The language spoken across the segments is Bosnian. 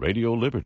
Radio Liberty.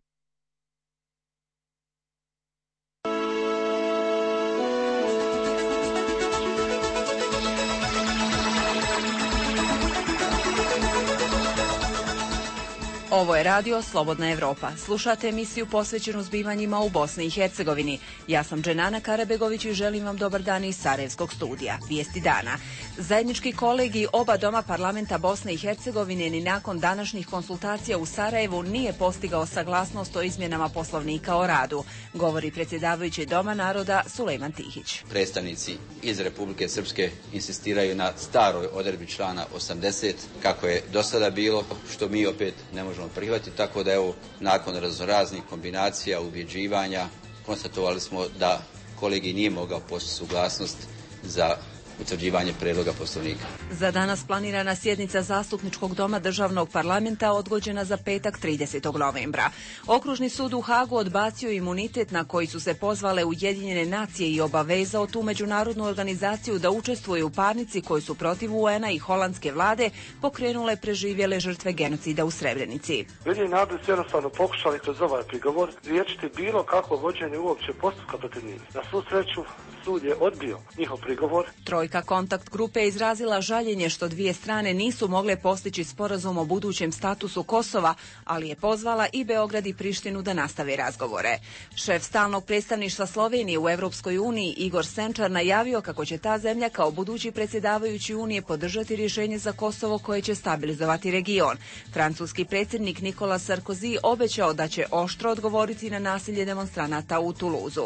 Ovo je radio Slobodna Evropa. Slušate emisiju posvećenu zbivanjima u Bosni i Hercegovini. Ja sam Dženana Karabegović i želim vam dobar dan iz Sarajevskog studija. Vijesti dana. Zajednički kolegij oba doma parlamenta Bosne i Hercegovine ni nakon današnjih konsultacija u Sarajevu nije postigao saglasnost o izmjenama Poslovnika o radu, govori predsjedavajući Doma naroda Sulejman Tihić. Predstavnici iz Republike Srpske insistiraju na staroj odredbi člana 80, kako je do sada bilo, što mi opet ne možemo prihvatiti, tako da evo, nakon raznoraznih kombinacija, ubjeđivanja, konstatovali smo da kolegij nije mogao postići suglasnost za utvrđivanje predloga Poslovnika. Za danas planirana sjednica Zastupničkog doma državnog parlamenta odgođena za petak 30. novembra. Okružni sud u Hagu odbacio imunitet na koji su se pozvale Ujedinjene nacije i obavezao tu međunarodnu organizaciju da učestvuje u parnici koji su protiv UN-a i holandske vlade pokrenule preživjele žrtve genocida u Srebrenici. Ujedinjeni narodi su jednostavno pokušali kroz ovaj prigovor riješiti bilo kako vođenje uopće postupka protiv njih. Na svu sreću sud je odbio njihov prigovor. Trojka kontakt grupe je izrazila žaljenje što dvije strane nisu mogle postići sporazum o budućem statusu Kosova, ali je pozvala i Beograd i Prištinu da nastave razgovore. Šef stalnog predstavništva Slovenije u Europskoj uniji Igor Senčar najavio kako će ta zemlja kao budući predsjedavajući Unije podržati rješenje za Kosovo koje će stabilizovati region. Francuski predsjednik Nicolas Sarkozy obećao da će oštro odgovoriti na nasilje demonstranata u Tuluzu.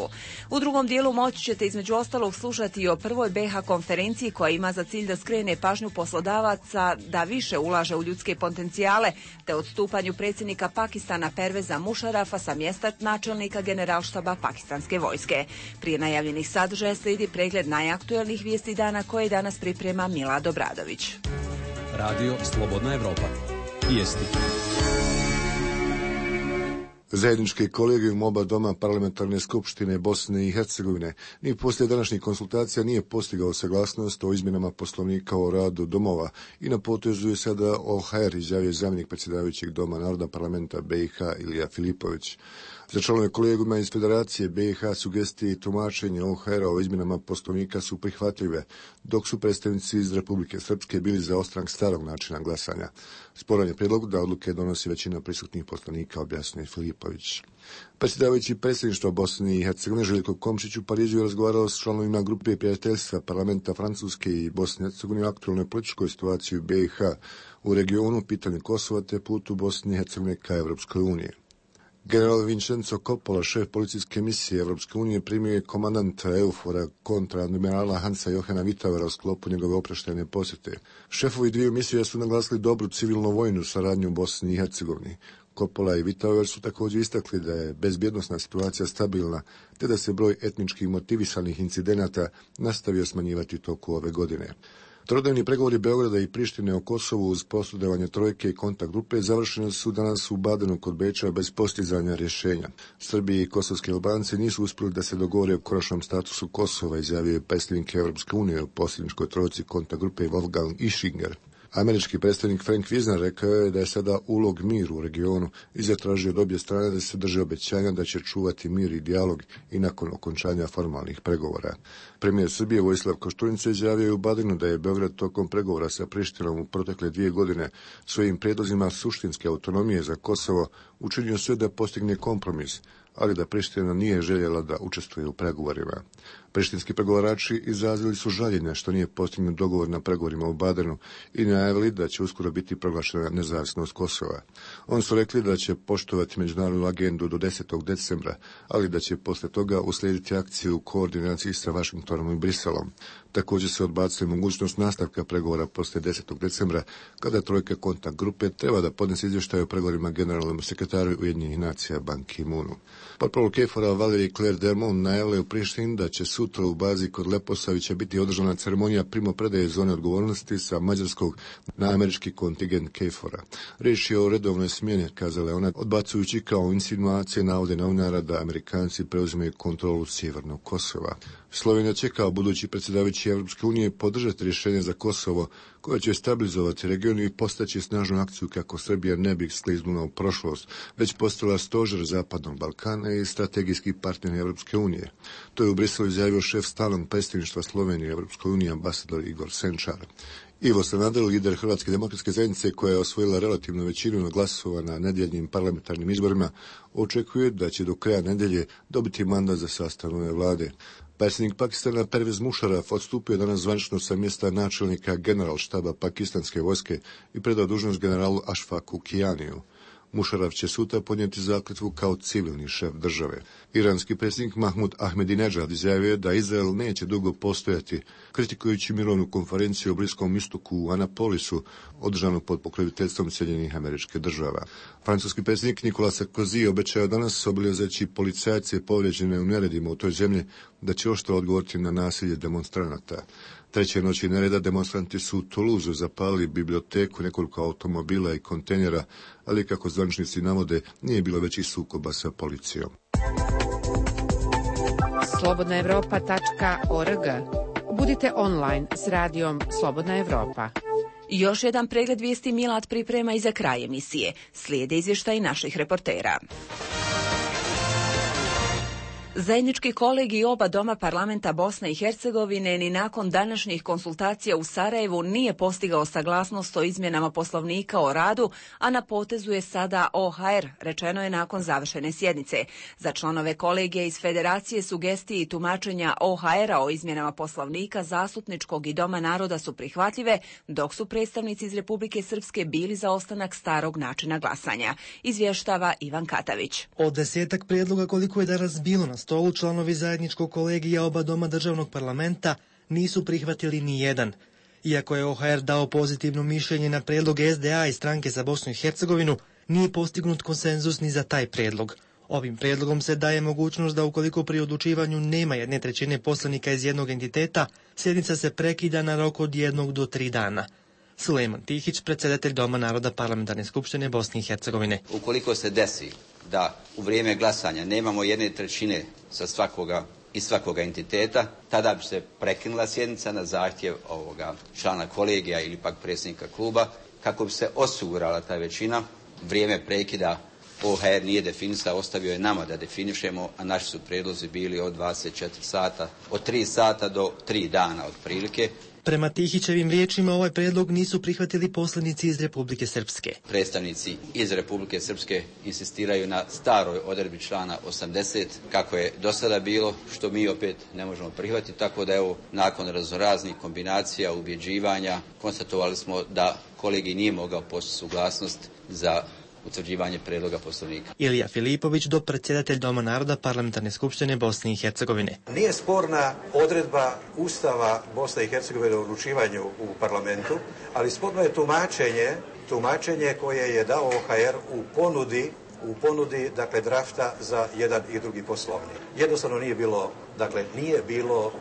U drugom dijelu moći ćete između ostalog slušati o prvoj BiH konferenciji koja ima za cilj da skrene pažnju poslodavaca da više ulaže u ljudske potencijale, te odstupanju predsjednika Pakistana Perveza Mušarafa sa mjesta načelnika generalštaba pakistanske vojske. Prije najavljenih sadržaja slijedi pregled najaktuelnijih vijesti dana koje danas priprema Milad Obradović. Radio Slobodna Evropa. Vijesti. Zajednički kolegijum oba doma parlamentarne skupštine Bosne i Hercegovine ni poslije današnjih konsultacija nije postigao saglasnost o izmjenama Poslovnika o radu domova i na potezu je sada OHR, izjavio zamjenik predsjedavajućeg Doma naroda parlamenta BiH Ilija Filipović. Za članove kolegijuma iz Federacije BiH sugestije i tumačenje OHR-a o izmjenama Poslovnika su prihvatljive, dok su predstavnici iz Republike Srpske bili za ostanak starog načina glasanja. Sporan je prijedlog da odluke donosi većina prisutnih poslanika, objasnio Filipović. Predsjedavajući predsjedništva Bosne i Hercegovine Željko Komšić u Parizu je razgovarao s članovima grupe prijateljstva parlamenta Francuske i Bosne i Hercegovine o aktualnoj političkoj situaciji u BiH u regionu, pitanje Kosova te putu Bosne i Hercegovine ka Evropskoj uniji. General Vincenzo Coppola, šef policijske misije Evropske unije, primio je komandanta EUFOR-a kontra admirala Hansa Johana Vitauera u sklopu njegove oproštajne posjete. Šefovi dviju misija su naglasili dobru civilno-vojnu saradnju u Bosni i Hercegovini. Coppola i Vitauer su također istakli da je bezbjednosna situacija stabilna, te da se broj etnički motivisanih incidenata nastavio smanjivati toku ove godine. Trodnevni pregovori Beograda i Prištine o Kosovu uz posredovanje trojke i kontakt grupe završeni su danas u Badenu kod Beča bez postizanja rješenja. Srbi i kosovski Albanci nisu uspjeli da se dogovore o konačnom statusu Kosova, izjavio je predsjednik Evropske unije u posljedničkoj trojci kontakt grupe Wolfgang Ischinger. Američki predstavnik Frank Wisner rekao je da je sada ulog miru u regionu i zatražio od obje strane da se drže obećanja da će čuvati mir i dijalog i nakon okončanja formalnih pregovora. Premijer Srbije Vojislav Koštunica izjavio je u Badenu da je Beograd tokom pregovora sa Prištinom u protekle 2 godine svojim prijedlozima suštinske autonomije za Kosovo učinio sve da postigne kompromis, ali da Priština nije željela da učestvuje u pregovorima. Prištinski pregovarači izrazili su žaljenje što nije postignut dogovor na pregovorima u Badenu i najavili da će uskoro biti proglašena nezavisnost Kosova. Oni su rekli da će poštovati međunarodnu agendu do 10. decembra, ali da će posle toga uslijediti akciju u koordinaciji sa Vašingtonom i Briselom. Također se odbacuje mogućnost nastavka pregovora posle 10. decembra, kada trojka kontakt grupe treba da podnese izvještaj o pregovorima generalnom sekretaru Ujedinjenih nacija Ban Ki-moonu. Portparol KFOR-a Valérie Claire Dermont najavila u Prištini da će sutra u bazi kod Leposavića biti održana ceremonija primopredaje zone odgovornosti sa mađarskog na američki kontingent KFOR-a. Riječ je o redovnoj smjeni, kazala ona, odbacujući kao insinuacije navode novinara da Amerikanci preuzimaju kontrolu sjevernog Kosova. Slovenija će kao budući predsjedavajući Evropske unije podržati rješenje za Kosovo koja će stabilizovati region i postaći snažnu akciju kako Srbija ne bi skliznula u prošlost, već postala stožer Zapadnog Balkana i strategijski partner Europske unije. To je u Briselu izjavio šef stalnog predstavništva Slovenije u Europskoj uniji, ambasador Igor Senčar. Ivo Sanader, lider Hrvatske demokratske zajednice koja je osvojila relativnu većinu glasova na nedjeljnim parlamentarnim izborima, očekuje da će do kraja nedjelje dobiti mandat za sastav nove vlade. Predsjednik Pakistana Pervez Musharraf odstupio danas zvanično sa mjesta načelnika generalštaba pakistanske vojske i predao dužnost generalu Ashfaku Kianiju. Musharraf će sutra podnijeti zakletvu kao civilni šef države. Iranski predsjednik Mahmud Ahmadinejad izjavio da Izrael neće dugo postojati, kritikujući mirovnu konferenciju o Bliskom istoku u Anapolisu, održanu pod pokroviteljstvom Sjedinjenih Američkih Država. Francuski predsjednik Nicolas Sarkozy obećao danas obilježeći policajce povrijeđene u neredima u toj zemlji da će oštro odgovoriti na nasilje demonstranata. Treće noći nereda demonstranti su u Toulouseu zapalili biblioteku, nekoliko automobila i kontejnera, ali kako zvaničnici navode, nije bilo većih sukoba sa policijom. Slobodnaevropa.org. Budite online s radijom Slobodna Evropa. Još jedan pregled vijesti Milad priprema i za kraj emisije. Slijede izvještaj naših reportera. Zajednički kolegij oba doma parlamenta Bosne i Hercegovine ni nakon današnjih konsultacija u Sarajevu nije postigao saglasnost o izmjenama Poslovnika o radu, a na potezu je sada OHR, rečeno je nakon završene sjednice. Za članove kolegija iz Federacije sugestije i tumačenja OHR-a o izmjenama Poslovnika Zastupničkog i Doma naroda su prihvatljive, dok su predstavnici iz Republike Srpske bili za ostanak starog načina glasanja. Izvještava Ivan Katavić. Od 10 prijedloga koliko je danas bilo na stolu, članovi zajedničkog kolegija oba doma državnog parlamenta nisu prihvatili ni jedan. Iako je OHR dao pozitivno mišljenje na prijedlog SDA i Stranke za Bosnu i Hercegovinu, nije postignut konsenzus ni za taj prijedlog. Ovim prijedlogom se daje mogućnost da ukoliko pri odlučivanju nema 1/3 poslanika iz jednog entiteta, sjednica se prekida na rok od 1 do 3 dana. Sulejman Tihić, predsjedatelj Doma naroda Parlamentarne skupštine Bosne i Hercegovine. Ukoliko se desi da u vrijeme glasanja nemamo 1/3 sa svakoga entiteta, tada bi se prekinula sjednica na zahtjev ovoga člana kolegija ili pak predsjednika kluba, kako bi se osigurala ta većina. Vrijeme prekida OHR nije definisao, ostavio je nama da definišemo, a naši su prijedlozi bili od 24 sata, od 3 sata do 3 dana otprilike. Prema Tihićevim riječima ovaj prijedlog nisu prihvatili poslanici iz Republike Srpske. Predstavnici iz Republike Srpske insistiraju na staroj odredbi člana 80, kako je do sada bilo, što mi opet ne možemo prihvatiti, tako da evo, nakon raznoraznih kombinacija, ubjeđivanja, konstatovali smo da kolegi nije mogao postići suglasnost za utvrđivanje predloga Poslovnika. Ilija Filipović, dopredsjedatelj Doma naroda Parlamentarne skupštine Bosne i Hercegovine. Nije sporna odredba Ustava Bosne i Hercegovine o odlučivanju u parlamentu, ali sporno je tumačenje koje je dao OHR u ponudi dakle drafta za jedan i drugi poslovnik. Jednostavno nije bilo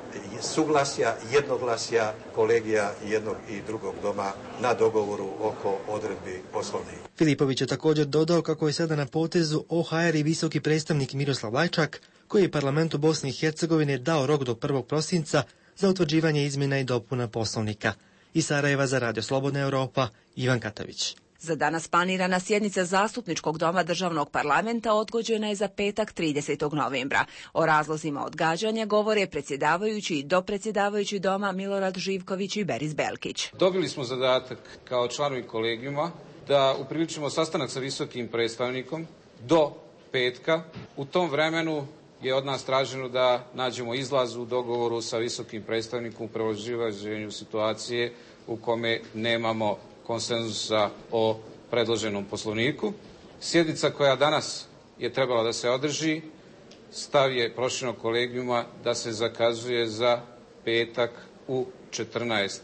suglasja, jednoglasja kolegija jednog i drugog doma na dogovoru oko odredbi poslovnika. Filipović je također dodao kako je sada na potezu OHR i visoki predstavnik Miroslav Lajčak, koji je parlamentu Bosne i Hercegovine dao rok do 1. prosinca za utvrđivanje izmjena i dopuna poslovnika. Iz Sarajeva za Radio Slobodna Evropa, Ivan Katavić. Za danas planirana sjednica Zastupničkog doma državnog parlamenta odgođena je za petak 30. novembra. O razlozima odgađanja govore predsjedavajući i dopredsjedavajući doma Milorad Živković i Beris Belkić. Dobili smo zadatak kao članovi kolegijuma da upriličimo sastanak sa visokim predstavnikom do petka. U tom vremenu je od nas traženo da nađemo izlaz u dogovoru sa visokim predstavnikom u prevazilaženju situacije u kome nemamo konsenzusa o predloženom poslovniku. Sjednica koja danas je trebala da se održi, stav je proširenog kolegijuma da se zakazuje za petak u 14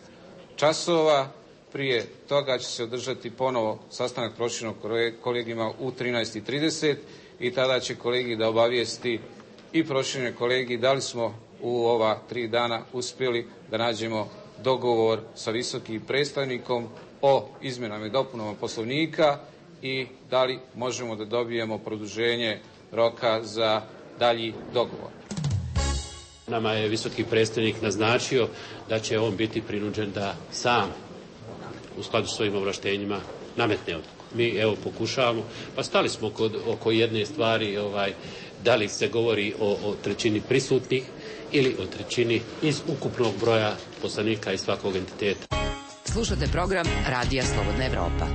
časova. Prije toga će se održati ponovo sastanak proširenog kolegijuma u 13:30 i tada će kolegij da obavijesti i proširene kolegiji da li smo u ova 3 dana uspjeli da nađemo dogovor sa visokim predstavnikom o izmjenama i dopunama poslovnika i da li možemo da dobijemo produženje roka za dalji dogovor. Nama je visoki predstavnik naznačio da će on biti prinuđen da sam u skladu s svojim ovlaštenjima nametne odluku. Mi evo pokušavamo, pa stali smo oko jedne stvari, da li se govori o trećini prisutnih ili o trećini iz ukupnog broja poslanika iz svakog entiteta. Slušate program Radija Slobodna Evropa.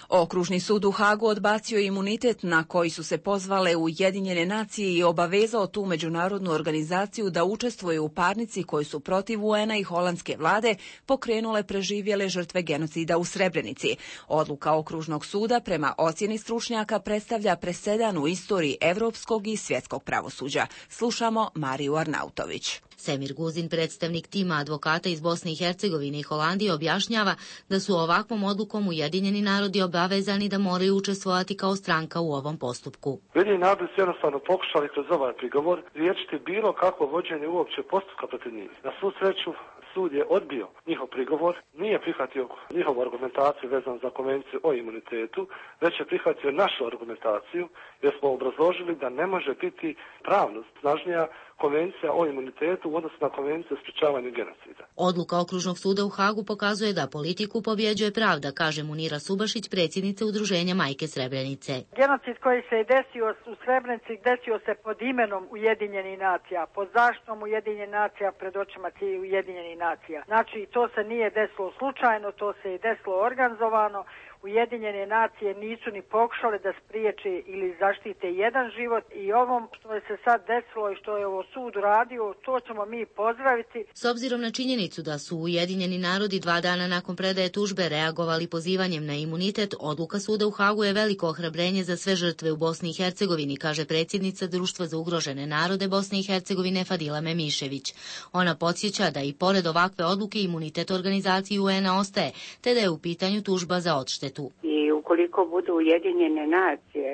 Okružni sud u Hagu odbacio imunitet na koji su se pozvale Ujedinjene nacije i obavezao tu međunarodnu organizaciju da učestvuje u parnici koji su protiv UN-a i holandske vlade pokrenule preživjele žrtve genocida u Srebrenici. Odluka Okružnog suda prema ocjeni stručnjaka predstavlja presedan u istoriji evropskog i svjetskog pravosuđa. Slušamo Mariju Arnautović. Semir Guzin, predstavnik tima advokata iz Bosne i Hercegovine i Holandije, objašnjava da su ovakvom odlukom Ujedinjeni narodi obavezani da moraju učestvovati kao stranka u ovom postupku. Ujedinjeni narodi su jednostavno pokušali kroz ovaj prigovor riješiti bilo kakvo vođenje uopće postupka protiv njih. Na svu sreću sud je odbio njihov prigovor, nije prihvatio njihovu argumentaciju vezanu za konvenciju o imunitetu, već je prihvatio našu argumentaciju jer smo obrazložili da ne može biti pravno snažnija konvencija o imunitetu u odnosu na konvenciju o sprječavanju genocida. Odluka Okružnog suda u Hagu pokazuje da politiku pobjeđuje pravda, kaže Munira Subašić, predsjednica Udruženja Majke Srebrenice. Genocid koji se je desio u Srebrenici desio se pod imenom Ujedinjenih nacija, pod zaštitom Ujedinjenih nacija, pred očima Ujedinjenih nacija. Znači, to se nije desilo slučajno, to se je desilo organizovano. Ujedinjene nacije nisu ni pokušale da spriječe ili zaštite jedan život i ovom što je se sad desilo i što je ovo sud radio, to ćemo mi pozdraviti. S obzirom na činjenicu da su Ujedinjeni narodi 2 dana nakon predaje tužbe reagovali pozivanjem na imunitet, odluka suda u Hagu je veliko ohrabrenje za sve žrtve u Bosni i Hercegovini, kaže predsjednica Društva za ugrožene narode Bosne i Hercegovine Fadila Memišević. Ona podsjeća da i pored ovakve odluke imunitet organizaciji UN-a ostaje, te da je u pitanju tužba za odštetu. I ukoliko budu Ujedinjene nacije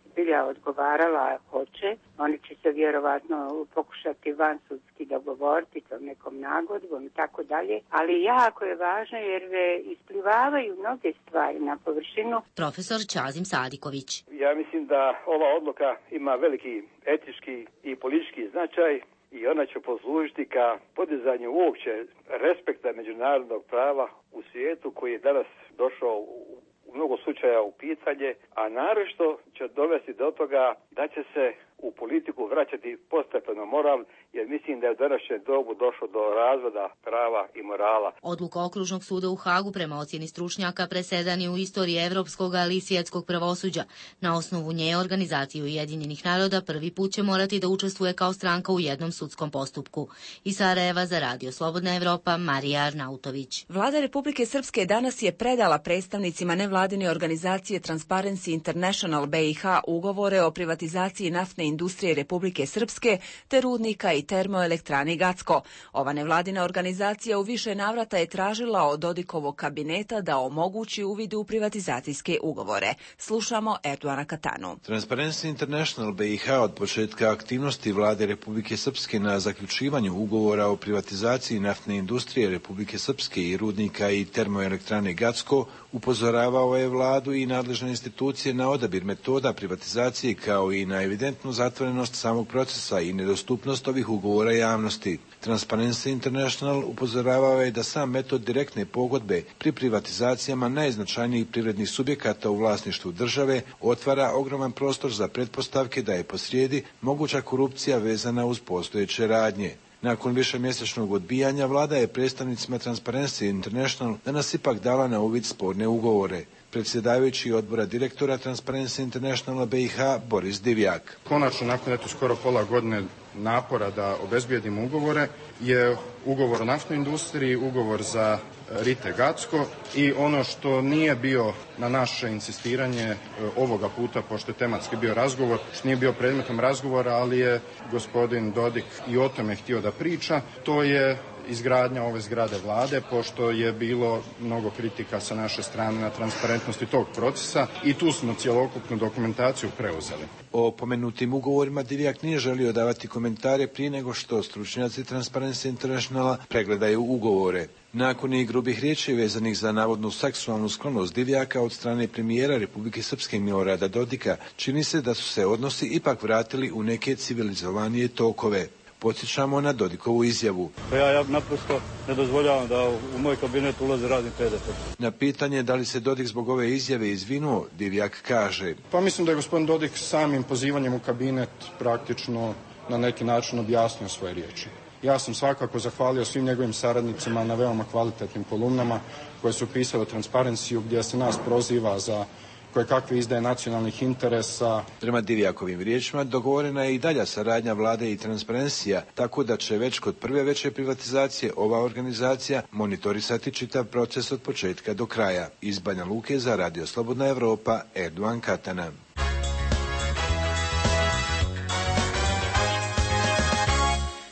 zbilja odgovarala hoće, oni će se vjerovatno pokušati vansudski dogovoriti tom nekom nagodbom i tako dalje, ali jako je važno jer isplivavaju mnoge stvari na površinu. Profesor Čazim Sadiković. Ja mislim da ova odluka ima veliki etički i politički značaj i ona će poslužiti ka podizanju uopće respekta međunarodnog prava u svijetu koji je danas došao u mnogo slučaja u pitanje, a naročito će dovesti do toga da će se u politiku vraćati postepeno moral, jer mislim da je u današnjem dobu došlo do razvoda prava i morala. Odluka Okružnog suda u Hagu prema ocjeni stručnjaka presedan je u istoriji evropskog, ali i svjetskog pravosuđa. Na osnovu nje organizacija Ujedinjenih naroda prvi put će morati da učestvuje kao stranka u jednom sudskom postupku. Iz Sarajeva za Radio Slobodna Evropa, Marija Arnautović. Vlada Republike Srpske danas je predala predstavnicima nevladine organizacije Transparency International BiH ugovore o privatizaciji naftne industrije Republike Srpske te rudnika i termoelektrani Gacko. Ova nevladina organizacija u više navrata je tražila od Dodikovog kabineta da omogući uvid u privatizacijske ugovore. Slušamo Erdoana Katanu. Transparency International BiH od početka aktivnosti vlade Republike Srpske na zaključivanju ugovora o privatizaciji naftne industrije Republike Srpske i rudnika i termoelektrane Gacko upozoravao je vladu i nadležne institucije na odabir metoda privatizacije kao i na evidentnu zatvorenost samog procesa i nedostupnost ovih ugovora javnosti. Transparency International upozoravao je da sam metod direktne pogodbe pri privatizacijama najznačajnijih privrednih subjekata u vlasništvu države otvara ogroman prostor za pretpostavke da je posrijedi moguća korupcija vezana uz postojeće radnje. Nakon višemjesečnog odbijanja, vlada je predstavnicima Transparency International danas ipak dala na uvid sporne ugovore. Predsjedavajući odbora direktora Transparency International BiH Boris Divjak. Konačno, nakon skoro pola godine napora da obezbijedimo ugovore, je ugovor o naftnoj industriji, ugovor za Rite Gacko i ono što nije bio na naše insistiranje ovoga puta, pošto je tematski bio razgovor, što nije bio predmetom razgovora, ali je gospodin Dodik i o tome htio da priča, to je izgradnja ove zgrade vlade, pošto je bilo mnogo kritika sa naše strane na transparentnosti tog procesa i tu smo cjelokupnu dokumentaciju preuzeli. O pomenutim ugovorima Divjak nije želio davati komentare prije nego što stručnjaci Transparency Internationala pregledaju ugovore. Nakon i grubih riječi vezanih za navodnu seksualnu sklonost Divjaka od strane premijera Republike Srpske Milorada Dodika, čini se da su se odnosi ipak vratili u neke civilizovanije tokove. Podsjećamo na Dodikovu izjavu. Ja naprosto ne dozvoljavam da u moj kabinet ulaze razni pedofili. Na pitanje da li se Dodik zbog ove izjave izvinuo, Divjak kaže: Pa mislim da je gospodin Dodik samim pozivanjem u kabinet praktično na neki način objasnio svoje riječi. Ja sam svakako zahvalio svim njegovim saradnicima na veoma kvalitetnim kolumnama koje su pisale o Transparencyu, gdje se nas proziva za koje kakve izdaje nacionalnih interesa. Prema Divjakovim riječima dogovorena je i dalja saradnja vlade i Transparencija, tako da će već kod prve veće privatizacije ova organizacija monitorisati čitav proces od početka do kraja. Iz Banja Luke za Radio Slobodna Evropa, Erdogan Katana.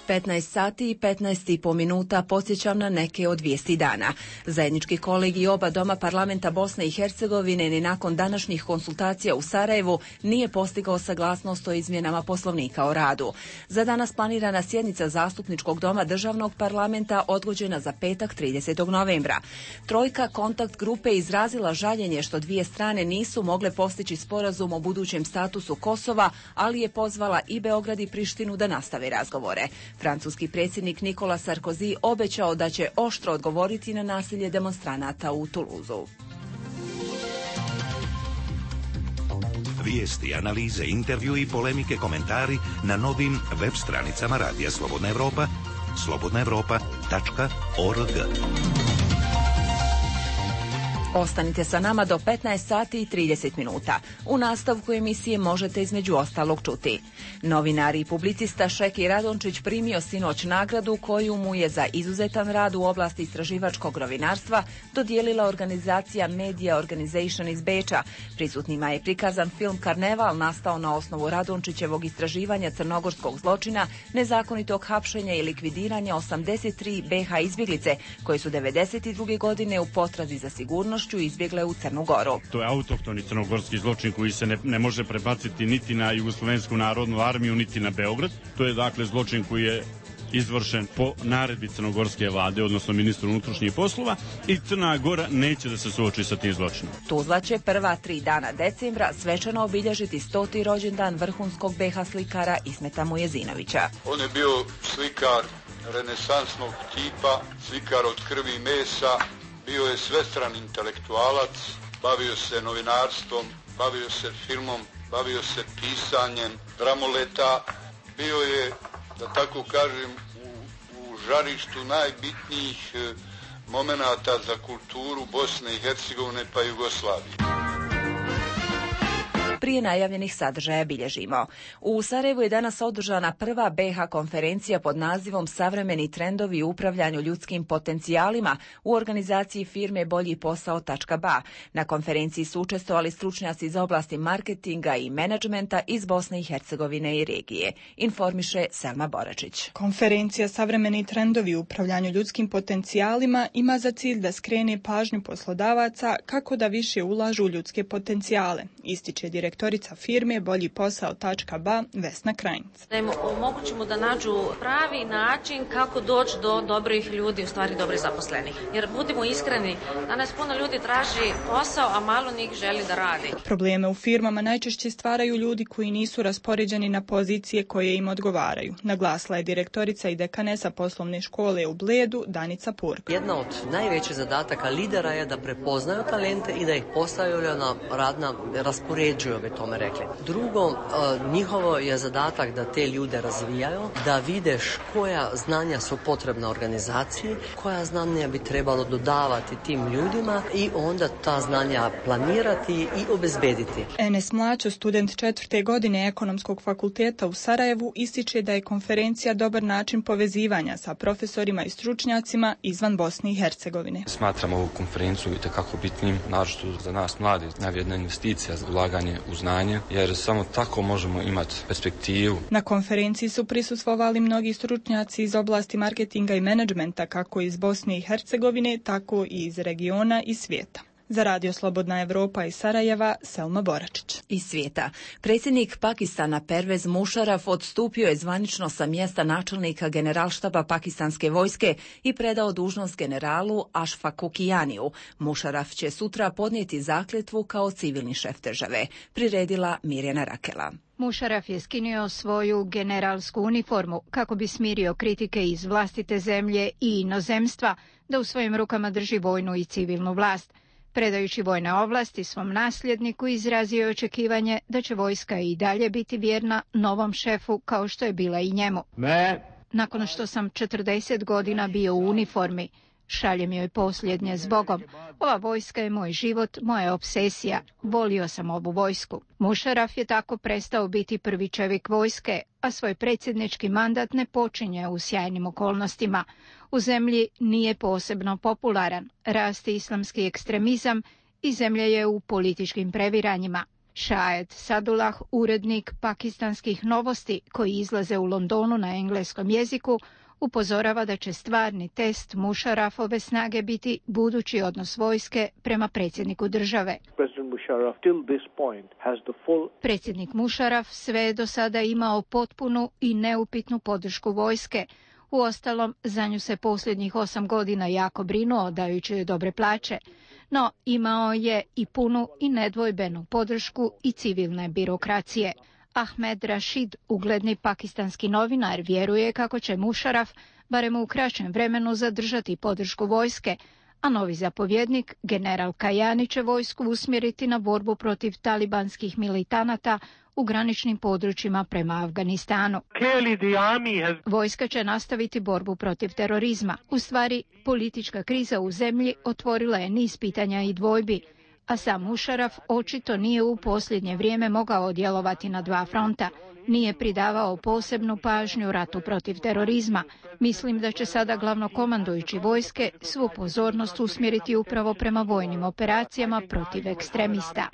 15 sati i 15,5 minuta podsjećam na neke od vijesti dana. Zajednički kolegij oba doma parlamenta Bosne i Hercegovine ni nakon današnjih konsultacija u Sarajevu nije postigao saglasnost o izmjenama Poslovnika o radu. Za danas planirana sjednica zastupničkog doma državnog parlamenta odgođena za petak 30. novembra. Trojka kontakt grupe izrazila žaljenje što dvije strane nisu mogle postići sporazum o budućem statusu Kosova, ali je pozvala i Beograd i Prištinu da nastave razgovore. Francuski predsjednik Nikola Sarkozy obećao da će oštro odgovoriti na nasilje demonstranata u Tuluzu. Vijesti, analize, intervju i polemike, komentari na novim web stranicama Radija Slobodna Evropa, slobodnaevropa.org. Ostanite sa nama do 15 sati i 30 minuta. U nastavku emisije možete između ostalog čuti: novinar i publicista Šeki Radončić primio sinoć nagradu koju mu je za izuzetan rad u oblasti istraživačkog novinarstva dodijelila organizacija Media Organization iz Beča. Prisutnima je prikazan film Karneval, nastao na osnovu Radončićevog istraživanja crnogorskog zločina, nezakonitog hapšenja i likvidiranja 83 BH izbjeglice koje su 92. godine u potrazi za sigurnošću izbjegle u Crnu Goru. To je autohtoni crnogorski zločin koji se ne može prebaciti niti na Jugoslovensku narodnu armiju, niti na Beograd. To je dakle zločin koji je izvršen po naredbi crnogorske vlade, odnosno ministru unutrašnjih poslova, i Crna Gora neće da se suoči sa tim zločinom. Tuzla će prva 3 dana decembra svečano obilježiti 100. rođendan vrhunskog BH slikara Ismeta Mujezinovića. On je bio slikar renesansnog tipa, slikar od krvi i mesa, bio je svestran intelektualac, bavio se novinarstvom, bavio se filmom, bavio se pisanjem dramoleta, bio je, da tako kažem, u žarištu najbitnijih momenata za kulturu Bosne i Hercegovine pa Jugoslavije. Prije najavljenih sadržaja bilježimo. U Sarajevu je danas održana prva BH konferencija pod nazivom Savremeni trendovi u upravljanju ljudskim potencijalima u organizaciji firme Bolji posao.ba. Na konferenciji su učestvovali stručnjaci za oblasti marketinga i menadžmenta iz Bosne i Hercegovine i regije. Informiše Selma Boračić. Konferencija Savremeni trendovi u upravljanju ljudskim potencijalima ima za cilj da skrene pažnju poslodavaca kako da više ulažu u ljudske potencijale, ističe direktorica firme Bolji posao.ba Vesna Krajnc. Da im omogućimo da nađu pravi način kako doći do dobrih ljudi, u stvari dobrih zaposlenih. Jer budimo iskreni, danas puno ljudi traži posao, a malo njih želi da radi. Probleme u firmama najčešće stvaraju ljudi koji nisu raspoređeni na pozicije koje im odgovaraju, naglasila je direktorica i dekanesa poslovne škole u Bledu Danica Purk. Jedna od najvećih zadataka lidera je da prepoznaju talente i da ih postavljaju na radna raspoređuju, bi tome rekli. Drugo, njihovo je zadatak da te ljude razvijaju, da videš koja znanja su potrebna organizaciji, koja znanja bi trebalo dodavati tim ljudima i onda ta znanja planirati i obezbediti. Enes Mlačo, student 4. godine Ekonomskog fakulteta u Sarajevu, ističe da je konferencija dobar način povezivanja sa profesorima i stručnjacima izvan Bosne i Hercegovine. Smatramo ovu konferenciju itekako bitnim, naročito za nas mladi, najvrijedna investicija za ulaganje u znanje, jer samo tako možemo imati perspektivu. Na konferenciji su prisustvovali mnogi stručnjaci iz oblasti marketinga i menadžmenta, kako iz Bosne i Hercegovine, tako i iz regiona i svijeta. Za Radio Slobodna Evropa iz Sarajeva, Selma Boračić. Iz svijeta. Predsjednik Pakistana Pervez Musharraf odstupio je zvanično sa mjesta načelnika generalštaba pakistanske vojske i predao dužnost generalu Ashfaku Kijaniju. Musharraf će sutra podnijeti zakletvu kao civilni šef države, priredila Mirjana Rakela. Musharraf je skinuo svoju generalsku uniformu kako bi smirio kritike iz vlastite zemlje i inozemstva da u svojim rukama drži vojnu i civilnu vlast. Predajući vojne ovlasti svom nasljedniku, izrazio je očekivanje da će vojska i dalje biti vjerna novom šefu kao što je bila i njemu. Nakon što sam 40 godina bio u uniformi, šaljem joj posljednje zbogom. Ova vojska je moj život, moja obsesija. Volio sam ovu vojsku. Musharraf je tako prestao biti prvi čovjek vojske, a svoj predsjednički mandat ne počinje u sjajnim okolnostima. U zemlji nije posebno popularan, raste islamski ekstremizam i zemlja je u političkim previranjima. Shahid Sadullah, urednik pakistanskih novosti koji izlaze u Londonu na engleskom jeziku, upozorava da će stvarni test Musharrafove snage biti budući odnos vojske prema predsjedniku države. Predsjednik Musharraf sve je do sada imao potpunu i neupitnu podršku vojske. Uostalom, za nju se posljednjih 8 godina jako brinuo, dajući joj dobre plaće. No, imao je i punu i nedvojbenu podršku i civilne birokracije. Ahmed Rashid, ugledni pakistanski novinar, vjeruje kako će Musharraf, barem u kraćem vremenu, zadržati podršku vojske, a novi zapovjednik, general Kajani, će vojsku usmjeriti na borbu protiv talibanskih militanata u graničnim područjima prema Afganistanu. Vojska će nastaviti borbu protiv terorizma. U stvari, politička kriza u zemlji otvorila je niz pitanja i dvojbi, a sam Musharraf očito nije u posljednje vrijeme mogao djelovati na dva fronta. Nije pridavao posebnu pažnju ratu protiv terorizma. Mislim da će sada glavnokomandujući vojske svu pozornost usmjeriti upravo prema vojnim operacijama protiv ekstremista.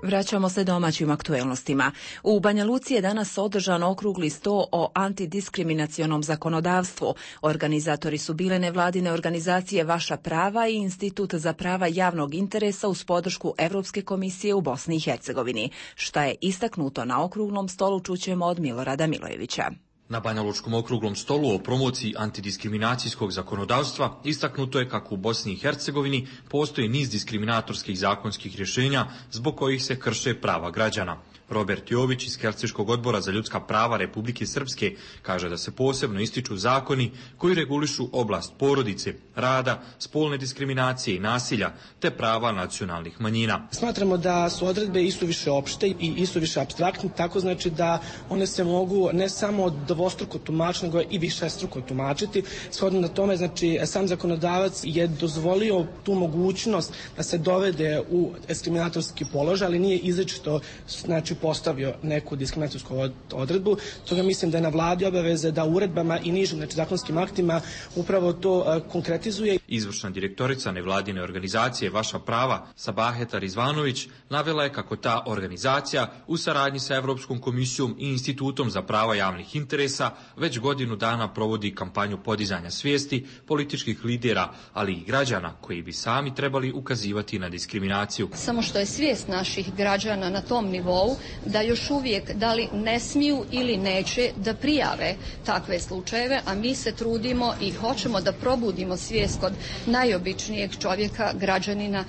Vraćamo se domaćim aktuelnostima. U Banja Luci je danas održan okrugli sto o antidiskriminacionom zakonodavstvu. Organizatori su bile nevladine organizacije Vaša prava i Institut za prava javnog interesa uz podršku Europske komisije u Bosni i Hercegovini. Šta je istaknuto na okruglom stolu čućemo od Milorada Milojevića. Na Banjalučkom okruglom stolu o promociji antidiskriminacijskog zakonodavstva istaknuto je kako u Bosni i Hercegovini postoji niz diskriminatorskih zakonskih rješenja zbog kojih se krše prava građana. Robert Jović iz Helsinškog odbora za ljudska prava Republike Srpske kaže da se posebno ističu zakoni koji regulišu oblast porodice, rada, spolne diskriminacije i nasilja te prava nacionalnih manjina. Smatramo da su odredbe isuviše opšte i isuviše apstraktne, tako znači da one se mogu ne samo dvostruko tumačiti, nego i višestruko tumačiti. Shodno na tome, znači, sam zakonodavac je dozvolio tu mogućnost da se dovede u diskriminatorski položaj, ali nije izričito, znači, postavio neku diskriminatorsku odredbu. Toga mislim da je na vladi obaveze da uredbama i nižim, znači, zakonskim aktima upravo to konkretizuje. Izvršna direktorica nevladine organizacije Vaša prava, Sabaheta Rizvanović, navela je kako ta organizacija u saradnji sa Europskom komisijom i Institutom za prava javnih interesa već godinu dana provodi kampanju podizanja svijesti političkih lidera, ali i građana koji bi sami trebali ukazivati na diskriminaciju. Samo što je svijest naših građana na tom nivou da još uvijek da li ne smiju ili neće da prijave takve slučajeve, a mi se trudimo i hoćemo da probudimo svijest kod najobičnijeg čovjeka, građanina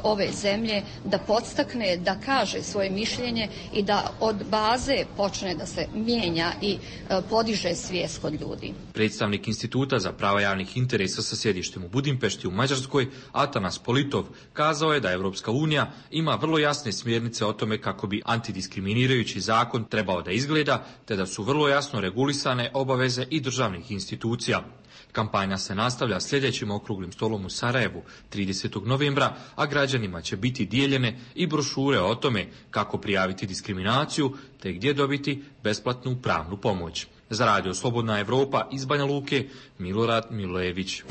ove zemlje, da podstakne, da kaže svoje mišljenje i da od baze počne da se mijenja i podiže svijest kod ljudi. Predstavnik Instituta za prava javnih interesa sa sjedištem u Budimpešti u Mađarskoj, Atanas Politov, kazao je da Evropska unija ima vrlo jasne smjernice o tome kako bi antidiskriminirajući zakon trebao da izgleda, te da su vrlo jasno regulisane obaveze i državnih institucija. Kampanja se nastavlja sljedećim okruglim stolom u Sarajevu 30. novembra, a građanima će biti dijeljene i brošure o tome kako prijaviti diskriminaciju te gdje dobiti besplatnu pravnu pomoć. Za Radio Slobodna Evropa iz Banja Luke, Milorad Milojević.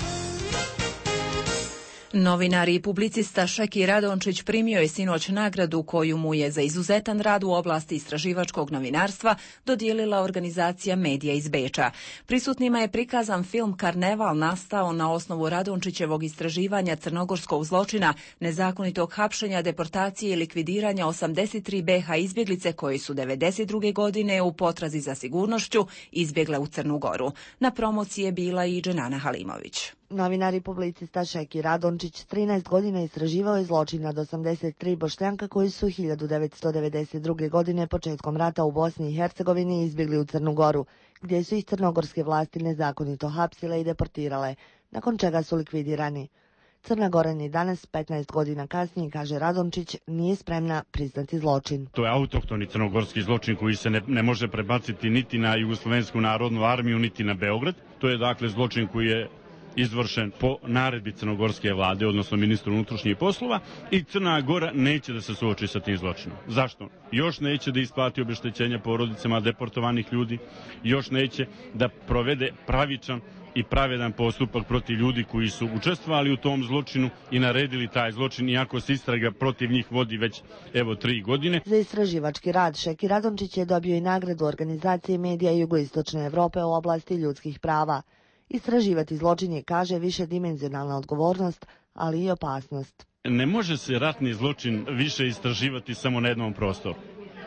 Novinar i publicista Šeki Radončić primio je sinoć nagradu koju mu je za izuzetan rad u oblasti istraživačkog novinarstva dodijelila organizacija Medija iz Beča. Prisutnima je prikazan film Karneval nastao na osnovu Radončićevog istraživanja crnogorskog zločina, nezakonitog hapšenja, deportacije i likvidiranja 83 BH izbjeglice koji su 92. godine u potrazi za sigurnošću izbjegle u Crnu Goru. Na promociji je bila i Dženana Halimović. Novinar i publicista Šeki Radončić 13 godina istraživao je zločin nad 83 Bošnjaka koji su 1992. godine početkom rata u Bosni i Hercegovini izbjegli u Crnu Goru, gdje su ih crnogorske vlasti nezakonito hapsile i deportirale, nakon čega su likvidirani. Crna Gora ni danas, 15 godina kasnije, kaže Radončić, nije spremna priznati zločin. To je autohtoni crnogorski zločin koji se ne može prebaciti niti na Jugoslovensku narodnu armiju, niti na Beograd. To je dakle zločin koji je izvršen po naredbi crnogorske vlade, odnosno ministru unutrašnjih poslova, i Crna Gora neće da se suoči sa tim zločinom. Zašto? Još neće da isplati obeštećenja porodicama deportovanih ljudi, još neće da provede pravičan i pravedan postupak protiv ljudi koji su učestvovali u tom zločinu i naredili taj zločin, iako se istraga protiv njih vodi već 3 godine. Za istraživački rad Šeki Radončić je dobio i nagradu organizacije Medija Jugoistočne Evrope u oblasti ljudskih prava. Istraživati zločin je, kaže, višedimenzionalna odgovornost, ali i opasnost. Ne može se ratni zločin više istraživati samo na jednom prostoru.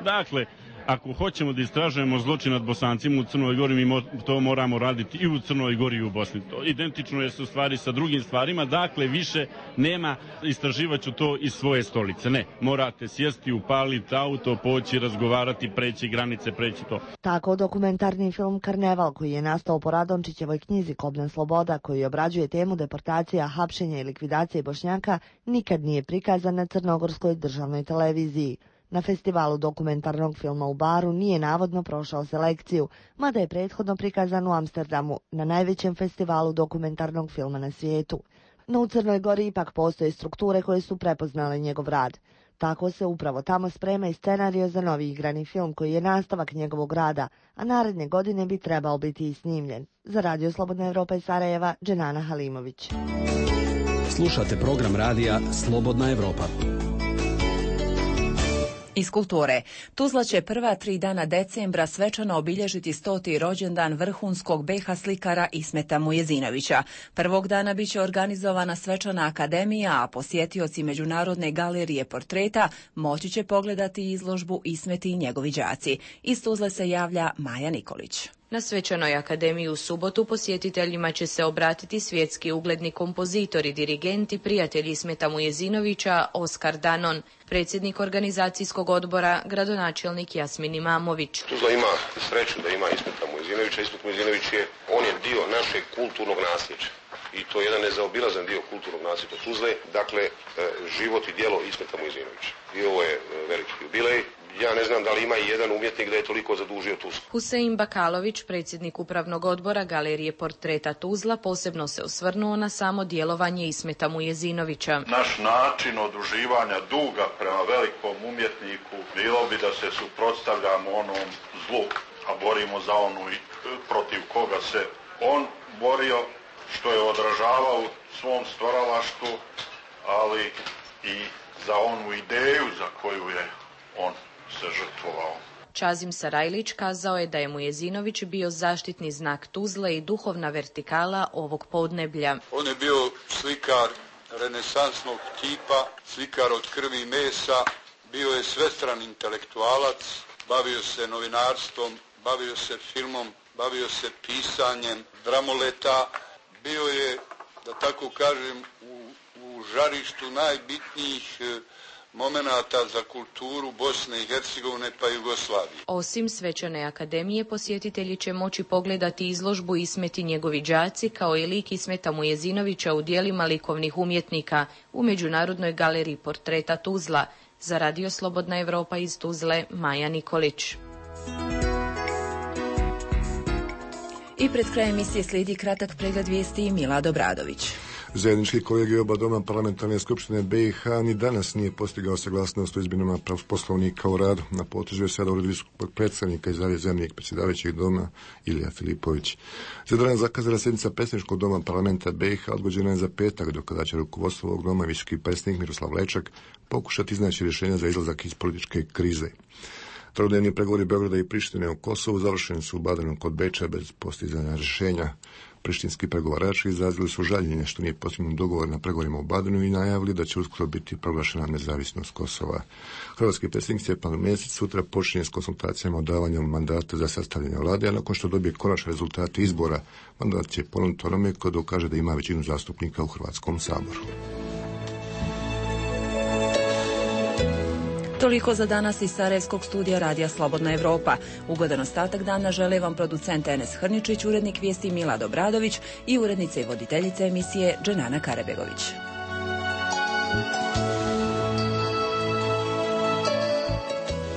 Dakle, ako hoćemo da istražujemo zločin nad Bosancima u Crnoj Gori, mi to moramo raditi i u Crnoj Gori i u Bosni. To identično je u stvari sa drugim stvarima, dakle više nema istraživaću to iz svoje stolice. Ne, morate sjesti, upaliti auto, poći, razgovarati, preći granice, preći to. Tako dokumentarni film Karneval, koji je nastao po Radončićevoj knjizi Kobna sloboda, koji obrađuje temu deportacija, hapšenja i likvidacije Bošnjaka, nikad nije prikazan na crnogorskoj državnoj televiziji. Na festivalu dokumentarnog filma u Baru nije navodno prošao selekciju, mada je prethodno prikazan u Amsterdamu, na najvećem festivalu dokumentarnog filma na svijetu. No u Crnoj Gori ipak postoje strukture koje su prepoznale njegov rad. Tako se upravo tamo sprema i scenario za novi igrani film koji je nastavak njegovog rada, a naredne godine bi trebao biti i snimljen. Za Radio Slobodna Evropa iz Sarajeva, Dženana Halimović. Slušate program radija Slobodna Evropa. Iz kulture. Tuzla će prva 3 dana decembra svečano obilježiti 100. rođendan vrhunskog BH slikara Ismeta Mujezinovića. Prvog dana biće organizovana svečana akademija, a posjetioci Međunarodne galerije portreta moći će pogledati izložbu Ismeti i njegovi đaci. Iz Tuzle se javlja Maja Nikolić. Na svečanoj akademiji u subotu posjetiteljima će se obratiti svjetski ugledni kompozitori, dirigenti, prijatelji Ismeta Mujezinovića, Oskar Danon, predsjednik organizacijskog odbora, gradonačelnik Jasmin Imamović. Tuzla ima sreću da ima Ismeta Mujezinovića. Ismet Mujezinović on je dio našeg kulturnog nasljeđa. I to je jedan nezaobilazan dio kulturnog nasljeđa Tuzle, dakle život i djelo Ismeta Mujezinovića. I ovo je veliki jubilej. Ja ne znam da li ima i jedan umjetnik da je toliko zadužio Tuzlu. Husein Bakalović, predsjednik upravnog odbora Galerije portreta Tuzla, posebno se osvrnuo na samo djelovanje Ismeta Mujezinovića. Naš način oduživanja duga prema velikom umjetniku bilo bi da se suprotstavljamo onom zlu, a borimo za onu protiv koga se on borio, što je odražavao u svom stvaralaštvu, ali i za onu ideju za koju je on se žrtvovao. Čazim Sarajlić kazao je da je Mujezinović bio zaštitni znak Tuzle i duhovna vertikala ovog podneblja. On je bio slikar renesansnog tipa, slikar od krvi i mesa, bio je svestran intelektualac, bavio se novinarstvom, bavio se filmom, bavio se pisanjem dramoleta, bio je, da tako kažem, u žarištu najbitnijih momenata za kulturu Bosne i Hercegovine pa Jugoslavije. Osim svečane akademije, posjetitelji će moći pogledati izložbu Ismet i njegovi đaci, kao i lik Ismeta Mujezinovića u djelima likovnih umjetnika u Međunarodnoj galeriji portreta Tuzla. Za Radio Slobodna Evropa iz Tuzle, Maja Nikolić. I pred krajem emisije slijedi kratak pregled vijesti i Milad Obradović. Zajednički kolegij oba doma parlamentarne skupštine BiH ni danas nije postigao saglasnost o izmjenama poslovnika o radu. Na potezu je sada ured visokog predstavnika iz zamjenik predsjedavajućeg doma Ilija Filipović. Za danas zakazala sjednica predsjedničkog doma parlamenta BiH odgođena je za petak, do kada će rukovodstvo ovog doma visoki predsjednik Miroslav Lečak pokušati iznaći rješenja za izlazak iz političke krize. Trodnevni pregovori Beograda i Prištine u Kosovu završeni su u Badenu kod Beča bez postizanja rješenja. Prištinski pregovarači izrazili su žaljenje što nije postignut dogovor na pregovorima u Badenu i najavili da će uskoro biti proglašena nezavisnost Kosova. Hrvatski predsjednik Stjepan Mesić sutra počinje s konsultacijama o davanju mandata za sastavljanje vlade, a nakon što dobije konačne rezultate izbora, mandat će ponuditi onome ko dokaže da ima većinu zastupnika u Hrvatskom saboru. Toliko za danas iz Sarajevskog studija Radija Slobodna Evropa. Ugodan ostatak dana žele vam producent Enes Hrničić, urednik vijesti Milad Obradović i urednica i voditeljica emisije Dženana Karebegović.